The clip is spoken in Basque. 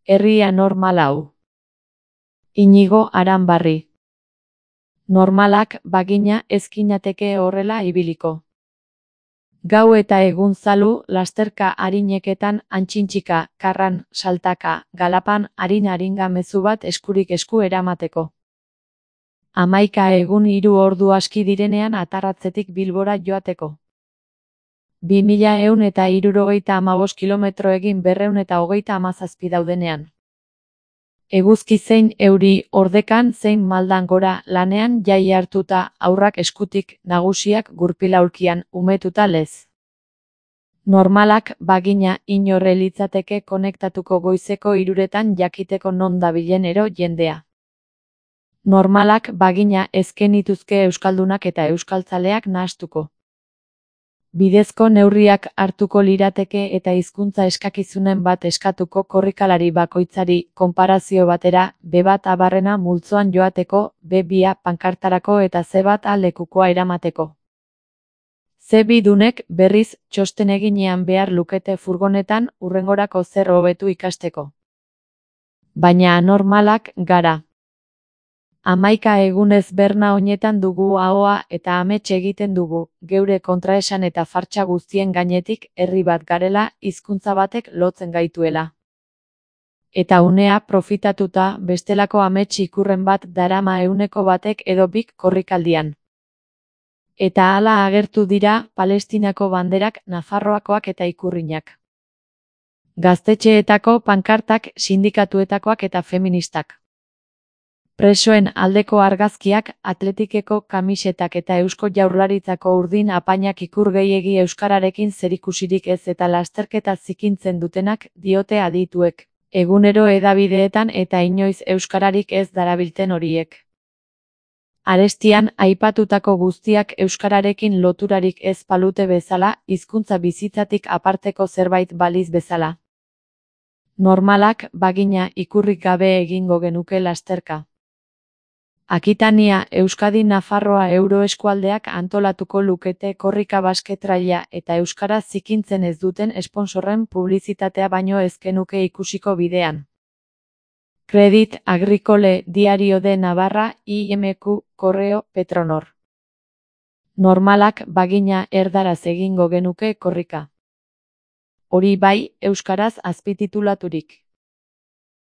Herria normal hau. Inigo Aranbarri. Normalak bagina ezkinateke horrela ibiliko. Gau eta egun zalu, lasterka arineketan, antxintxika, karran, saltaka, galapan, arin-aringa mezu bat eskurik esku eramateko. 11 egun 3 ordu aski direnean atarratzetik Bilbora joateko. 2175 kilometro egin 237 daudenean. Eguzki zein euri, ordekan zein maldan gora, lanean jai hartuta, haurrak eskutik, nagusiak gurpil-aulkian, umetuta lez. Normalak bagina inorre litzateke konektatuko goizeko 3etan jakiteko non dabilen ero jendea. Normalak bagina ezkenituzke euskaldunak eta euskaltzaleak nahastuko. Bidezko neurriak hartuko lirateke eta hizkuntza eskakizunen bat eskatuko korrikalari bakoitzari, konparazio batera, B1 abarrena multzoan joateko, B2 pankartarako eta C1 lekukoa eramateko. C2 dunek, berriz, txosten eginean behar lukete furgonetan, hurrengorako zer hobetu ikasteko. Baina anormalak gara. 11 egunez berna honetan dugu ahoa eta amets egiten dugu, geure kontraesan eta fartsa guztien gainetik, herri bat garela, hizkuntza batek lotzen gaituela. Eta unea profitatuta, bestelako amets ikurren bat darama 100 batek edo bik korrikaldian. Eta hala agertu dira, Palestinako banderak, Nafarroakoak eta ikurrinak. Gaztetxeetako pankartak, sindikatuetakoak eta feministak. Presoen aldeko argazkiak, Atletikeko kamisetak eta Eusko Jaurlaritzako urdin apainak ikur gehiegi euskararekin zerikusirik ez eta lasterketa zikintzen dutenak, diote adituek, egunero hedabideetan eta inoiz euskararik ez darabilten horiek. Arestian, aipatutako guztiak euskararekin loturarik ez palute bezala, hizkuntza bizitzatik aparteko zerbait baliz bezala. Normalak, bagina, ikurrik gabe egingo genuke lasterka. Akitania, Euskadi Nafarroa euroeskualdeak antolatuko lukete korrika basketraila eta euskara zikintzen ez duten esponsorren publizitatea baino ez genuke ikusiko bidean. Credit Agricole Diario de Navarra, IMQ, Correo, Petronor. Normalak bagina erdaraz egingo genuke korrika. Hori bai, euskaraz azpititulaturik.